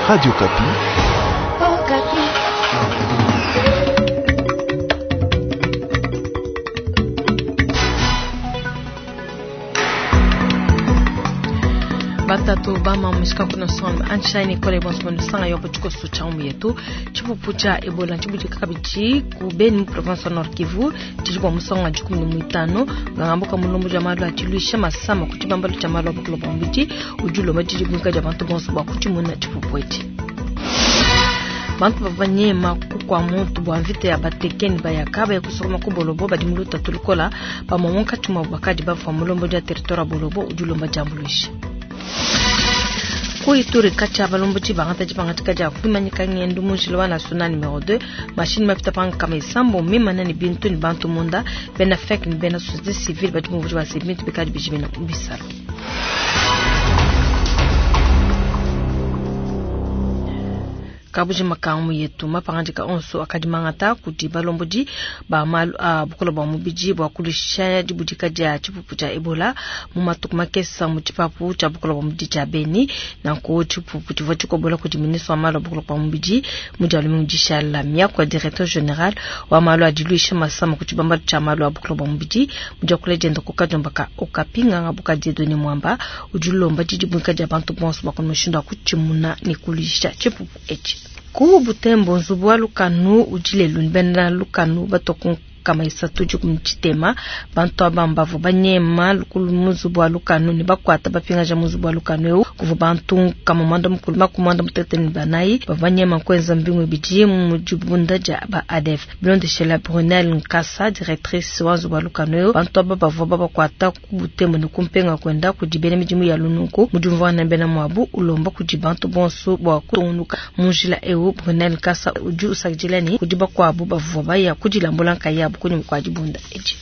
Radio Okapi. Batatu bama mushika kuno son anshine kole bonso bono sanga yopo chikoso cha umu yetu chipupu cha Ebola chibudika kabidi ku Beni province Nord Kivu chili musonga 15 ngambuka mulombo ja malu achiluisha masama ku chibambalo cha malu abukulo bambiji ujuloma jiji bunka ja bantu bonso bwa kuchimuna chipupu echi. Bantu bavanyema kukwa muntu bwa mvita ya batekeni bayaka baya kusokoma ku bolobo badi muluta tulukola bamomonka chuma bakadi bava mulombo ja territoire bolobo ujulomba jambuluisha. Ku Ituri kacha balombo bangata dipangatika dia kwimanyika ngendo mu njila wa national numero 2 mashini mapita panga kama isambo mimana ni bintu ni bantu munda bena fek ni bena société civile badi mu bujwa se bintu bikadi bijimina bisalo. Kabuji makangu yetu mapangandika onso akadi mangata kuti balombodi ba malu a bukola bwa mubidi bwa kulusha dibudika dia chipupu cha Ebola mu matuku makesa mu chipapu cha bukola bwa mubidi cha Beni nanko chipupu chivua chikobola kudi ministre wa malu a bukola bwa mubidi mu dia lumingu dishala miaku ya directeur general wa malu a diluisha masama ku chibambalu cha malu a bukola bwa mubidi mu dia kula dienda ku kadiomba ka Okapi nganga buka Dieudonné Mwamba udi ulomba didibwika dia bantu bonso bua mushindu wa kutshimuna ne kuluisha chipupu etshi. Ku Butembo nzubu wa lukanu udi lelu ni bena lukanu batoku kama isatu dikumi tshitema bantu aba mbavu banyema lukulu mu nzubu wa lukanu ne bakuata bapingaja mu nzubu wa lukanu eu kuvua bantu kama mwanda mukulu makumi mwanda mutete ne banayi bavua banyema kuenza mbingu ibidi mu dibunda dia ba ADF. Bilondeshela Brunel Nkasa directrice wa nzubu wa lukanu eu bantu aba bavua babakuata ku Butembo ne kumpenga kwenda kudi bena midimu ya lununku mu diumvuangana bena muabu ulomba kudi bantu bonso bua kutungunuka mu njila eu. Brunel Nkasa udi usakidila ne kudi bakuabu bavua baya kudilambula nkayabu kunyuma kua dibunda edi.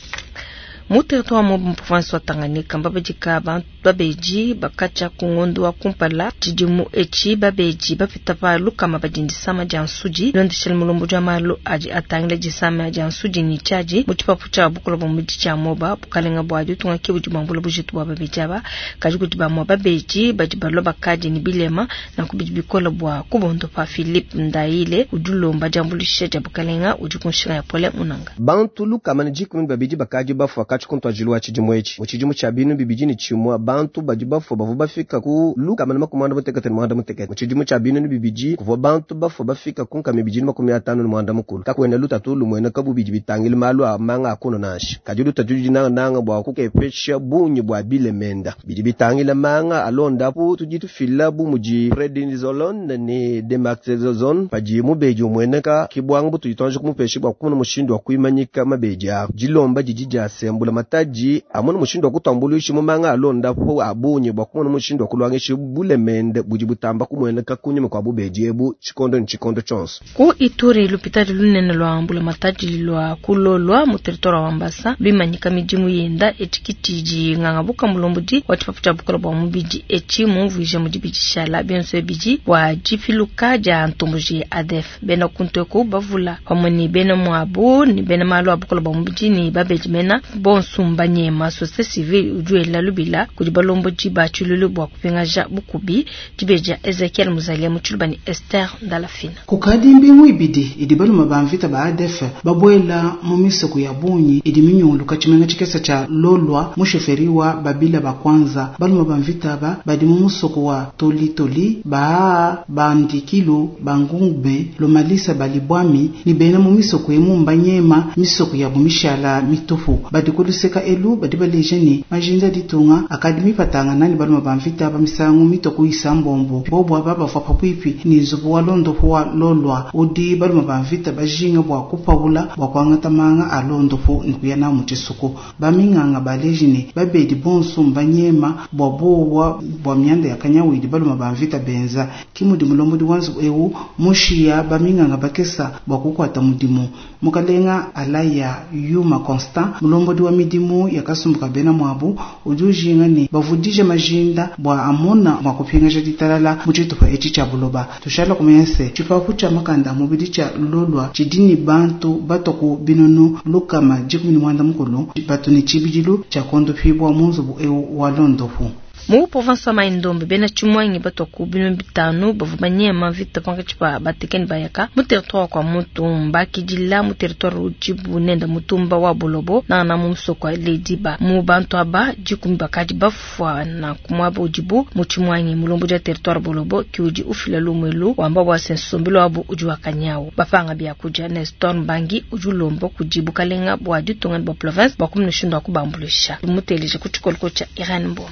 Mu territoire mu province wa Tanganyika mbabedika bantu babeji bakacha ku ngondo wa kumpala tshidimu etshi babeji bapita pa lukama badi disama dia nsudi londeshela mulombo dia malu adi atangila disama dia nsudi ni tshiadi mu tshipapu tshia bukola bua mubidi tshia moba bukalenga bua ditunga ke budi buambula bujitu bua babeji aba kadi kudi bamue babeji badi balua bakadi ni bilema nanku bidi bikola bua kubondopa. Philippe Ndaile udi ulomba diambuluisha dia bukalenga udi ku nshinga ya pole munanga. Bantu lukama ne 12 bakadi bafua kachi kuntwajilo wa tshidimu etshi mu tshidimu tshia binu bibidi ne tshimua bantu badi bafua bavua bafika ku lukama ne 66 mu tshidimu tshia binu bibidi kuvua bantu bafua bafika ku nkama ibidi ne 59. Kakuena lutatu lumueneka bubidi bitangila malu a manga akuno nansha kadi lutatu ludi nangananga bua kukepesha bungi bua bilemenda bidi bitangila manga alondapu tudi tufila bu mudi prednisolone ne dexamethasone padi mubedi umueneka kibwanga butudi tuanji kumupesha bua kumona mushindu wa kuimanyika mabedi awo. Dilomba didi diasembula matadi amona mushindu wa kutambuluisha mu manga alondapu abunye bua kumona mushindu wa kulwangisha bulemende budi butamba kumueneka kunyuma kwa bubedi ebu tshikondo ne tshikondo tshionso. Ku Ituri lupitadi lunene lwa mbula matadi lwa kulolwa mu territoire wa Mambasa bimanyika midimu yenda etshikitidi nganga buka mulombodi wa tshipapu tshia bukola bua mubidi etshi mumvuija mudi bidishala bionso ebidi bua dipiluka dia ntomboji ya ADF bena kunteku bavula pamue ne bena muabu ne bena malu a bukola bua mubidi ne babedi mena bonso mbanyema société civile udi wela lubila kudi balombodi ba tshilulu bua kupingaja bukubi dibeja Ezekiel Muzalia mu tshiluba ne Esther Ndalafina. Kukadi mbingu ibidi idi baluma ba mvita ba ADF babuela mu misoko ya bungi idi minyunguluka tshimenga tshikesa tshia Lolwa mu sheferi wa Babila ba kwanza baluma ba mvita ba badi mu musoko wa Tolitoli ba Bandikilu Bangungbe Lomalisa Balibwami ni bena mu misoko emu mbanyema misoko ya bumishala mitupu badi kuluseka elu badi baleja ni majinza ditunga akadimi patanga nani baluma ba mvita ba misangu mitoko isambombo bobo aba bavua pabuipi ni nzubu wa londopo wa Lolwa udi baluma ba mvita bajinga bua kupawula bua kuangata manga a londopo ni kuya na mu tshisuku baminganga baleji ni babedi bonso mbanyema bua bowa bua mianda ya kanyawidi baluma ba mvita benza kimudi mulombodi wa nzubu eu mushiya baminganga bakesa bua kukwata mudimu mukalenga alaya yuma Constant mulombodi wa midimu ya kasumbuka bena mwabu udi ujinga ni bavudije majinda bua amona mwa kupingaja ditalala mu tshitupa etshi tshia buloba tushala kumenya se tshipapu tshia makanda mubidi tshia Lolwa tshidi ni bantu batoku binunu lukama 18 batu ni tshibidilu tshia kondopibwa mu nzubu eu wa londopu. Mu province wa Mai-Ndombe, bena tshimuangi batua ku 5000 bavua banyema mvita pankatshi pa bateke ne bayaka mu territoire wa Kwamouth, mbakidila mu territoire udibu nenda mutumba wa Bolobo nangana mu musoko wa Lediba. Mu bantu aba 10 bakadi bafua nanku muaba udibu mu tshimuangi. Mulombodi wa territoire Bolobo ki udi ufila lumuelu wamba bua se nsombelu wabu udi wa kanyawu, bapanga biakudia. Nestor Mbangi udi ulomba kudi bukalenga bua ditunga ne bua province bua kumuna mushindu wa kubambuluisha. Tumuteleje ku tshikoloko tshia Irene Mboma.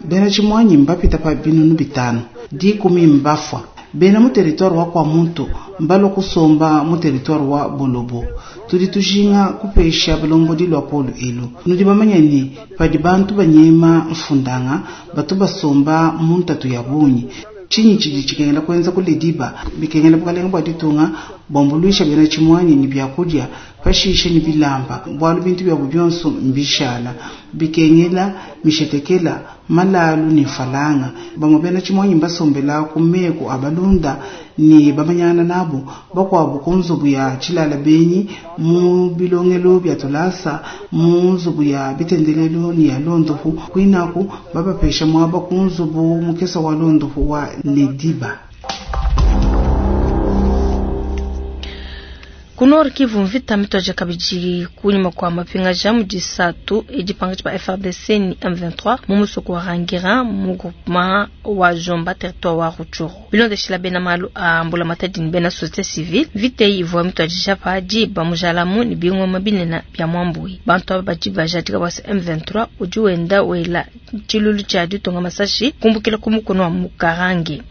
Bena tshimuanyi mbapita pa 5000, 10 mbafua. Bena mu territoire wa Kwamouth mbalua kusomba mu territoire wa Bolobo. Tudi tujinga kupesha balombodi lua polu elu. Nudi bamanya ne padi bantu banyema mfundanga batu basomba mu ntatu ya bungi. Tshinyi tshidi tshikengela kuenza ku Lediba, bikengela bukalenga bua ditunga buambuluisha bena tshimuanyi ne biakudia, pashishe ne bilamba, bualu bintu biabu bionso mbishala, bikengela mishetekela, malalu ne mfalanga. Bamue bena tshimuanyi mbasombela ku meku a balunda ne bamanyana nabo, bakuabu ku nzubu ya tshilala benyi, mu bilongelo bia tulasa, mu nzubu ya bitendelelu ne ya londopu. Kuinaku babapesha muaba ku nzubu mukesa wa londopu wa Lediba. Ku Nord Kivu, mvita mituaja kabidi kunyima kua mapingaja mu disatu edi pankatshi pa FARDC ni M23 mu musoko wa Rangira mu groupement wa Jomba territoire wa Rutshuru. Bilondeshila bena malu a mbulamatadi ne bena société civile, mvita eyi ivua mituadija pa diba mujalamu ne bingoma binene bia mwambui. Bantu aba badi bajadika bua se M23 udi wenda wela tshilulu tshia ditunga masashi kumbukila ku mukono wa Mukarange.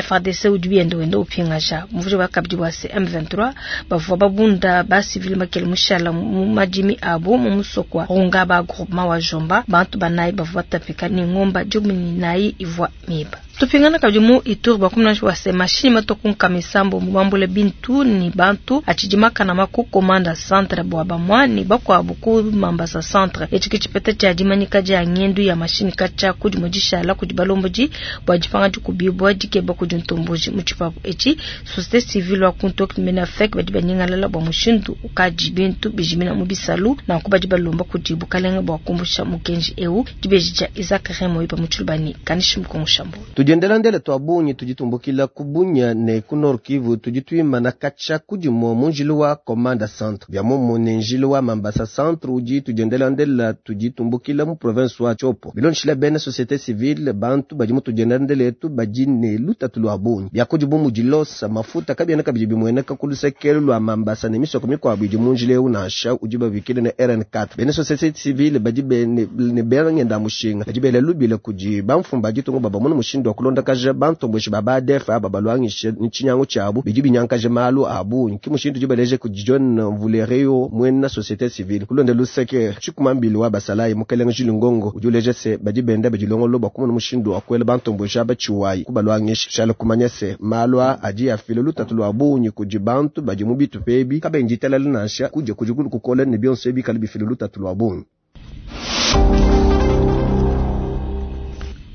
FARDC udi wenda wenda upingaja muvuje wa kabidi wa se M23 bavua babunda ba civil makele mushala mu madimi abo mu musoko wa Rungaba groupement wa Jomba. Bantu banayi bavua batapika ne ngomba 14 ivua miba. Tupingana kabidi mu Ituri bakumna wa se mashini matoku nkamisambo mubambule bintu ni bantu atshidi makana maku komanda centre bua bamwa ni bakuabu ku Mambasa centre. Etshi ke tshipeta tshia dimanyika dia ngendu ya mashini katshia kudi mudishala kudi balombodi bua dipanga dikubibua dikeba kudi ntomboji mu tshipapu etshi. Société civile wa kuntok menafek badi banyingalala bua mushindu ukadi bintu bijimina mu bisalu nanku badi balomba kudi bukalenga bua kumbusha mukenji eu. Dibeji dia Isaac Remo ipa mu tshilubani kanishi mukongoshambo. Tudiendelandele twa bungi tuditumbukila ku Bunia ne ku Nord Kivu, tudituimana katshia kudimua mu njilu wa Komanda Centre bia mumu ne njilu wa Mambasa Centre udi tudiendelandela tuditumbukila mu province wa Tshopo. Bilondeshila bena société civile bantu badi mu tudiendelandele etu badi ne lutatu lua bungi biakudi bu mudi losa mafuta kabiena kabidi bimueneka ku lusekelu lua Mambasa ne misoko mikuabu idi mu njila eu nansha udi babikile ne RN4. Bena société civile badi ne bena ngenda mushinga badi bela lubila kudi bamfumu ba ditunga babamona mushindu wa kulondakaja bantomboshi ba ADF aba balwangishe nchinyango tshiabu bidi binyankaje malu abu nki mushindu dibaleje kudi John Mvulereyo mwena société civile kulonda luseke tshikumambili wa basalayi mukelenga Jules Ngongo udi uleje se badi benda badilongolo bakumona mushindu wa kuela bantomboshi aba tshiwayi kubalwangisha shala kumanya se malu adi afila lutatu lua bungi kudi bantu badi mu bitu pebi kabenji talala nansha kuje kudi kukola ne bionso ebi kali bifila lutatu lua bungi.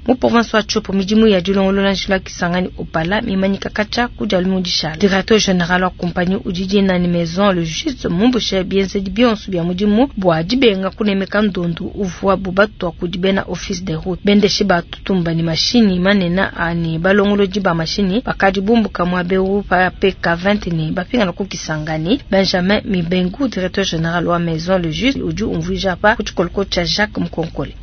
Mu province wa Tshopo midimu ya dilongolola njila Kisangani Opala mimanyika katshia kudi alumudisha. Directeur général wa compagnie udi dina ni Maison le Juste mumbushe bienzedi bionso bia mudimu bua dibenga kunemeka ndondu uvua bubatwa kudi bena office de route. Bendeshi batutumba ni mashini manena ani balongolodi ba mashini bakadi bumbuka muabewu pa PK20 ni bapingana ku Kisangani. Benjamin Mibengu directeur général wa Maison le Juste udi umvuija pa kutshikoloko tshia Jacques Mkonkole.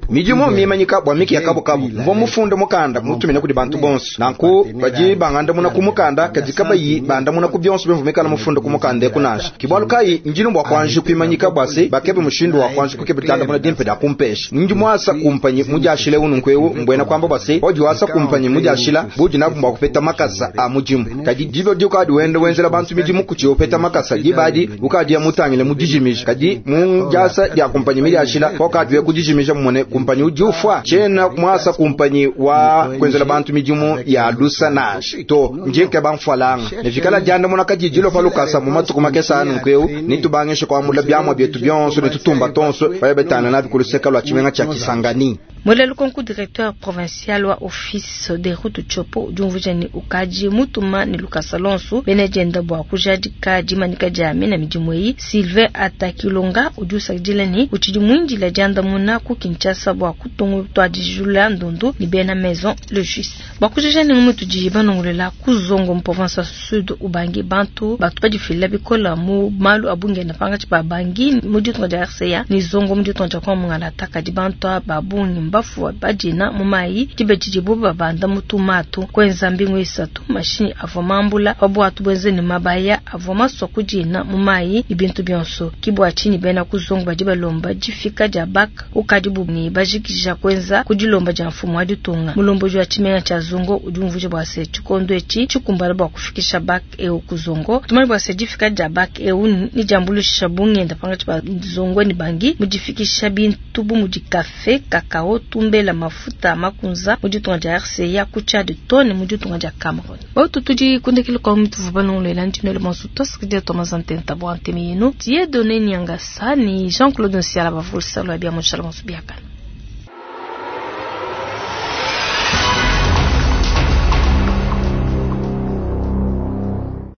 Midimu mimanyika bwa miki ya kabukabu mvo mufunde mukanda mutumina kudi bantu bonso nanku badi bangandamuna ku mukanda kadi kabayi bandamuna ku bionso bimvumikala mufunde ku mukanda ekunasha kibwalu kayi njinu bwa kwanji kwimanyika bwa se bakebe mushindu wa kwanji kukebe tandamuna dimpe da kumpesha ndi mwasa kumpanyi mujashile ununkweu mbwena kwamba bwa se odi wasa kumpanyi mujashila budi nabu bwa kupeta makasa a mujimu kadi dibyo dikadi wende wenzela bantu midimu kuti opeta makasa dibadi ukadi ya mutangile mudijimija kadi mujasa dia kumpanyi mijashila kokadi we kudijimija mumone kumpanyi udi ufwa chena mwasa kumpanyi wa kwenzela bantu midimu ya lusa nashi to njenke bamfwalanga nevikala dianda mona kadijilo palukasa mu matuku makesa anu nkweu nitubangeshe kwamula byamwa byetu byonso nitutumba tonso bayabetana nabi kuluseka lwa chimenga cha Kisangani. Muela lukonku directeur provincial wa office des routes Tshopo udi umvuija ne ukadi mutuma ne lukasa lonsu bena dienda bua kujadika dimanyika dia mina midimu eyi. Sylvain Atakilonga udi usakidila ne utshidi muindila diandamuna ku Kinshasa bua kutuadijula ndundu ne bena Maison le Juste. Bua kujija ne ngumu tudi banongolola ku Zongo mu province wa Sud Ubangi bantu batu badifila bikola mu malu a bungenda pangatshi pa Bangui mu ditunga dia RCA ne Zongo mu ditunga dia Kongo Mungalata kadi bantu ba bungi mbafua badina mu mayi diba didibu babanda mu tumatu kuenza mbingu isatu mashinyi avua mambula pa buatu buenze ne mabaya avua masua kudina mu mayi ne bintu bionso. Ki bua tshinyi bena ku Zongo badi balomba difika dia bak ukadibu ne bajikija kuenza ku dilomba dia mfumu wa ditunga. Mulombodi wa tshimenga tshia Zongo udi umvuija bua se tshikondo etshi tshikumbana bua kufikisha bak eu ku Zongo. Tumanye bua se difika dia bak eu ne diambuluisha bungenda pangatshi pa Zongo ne Bangui mu difikisha bintu bu mudi kafe, kakao, tumbela, mafuta makunza mu ditunga dia RCA ku Tchad too ne mu ditunga dia Cameroun. Bautu tudi kundekela kwa mutu vubalongolela ndinwele bonso twasakidila Thomas Ntenta bua ntemi yenu. Dieudonné Nyangasa ni Jean-Claude Nsiala bavulsa lwa bia mushala bonso biakana.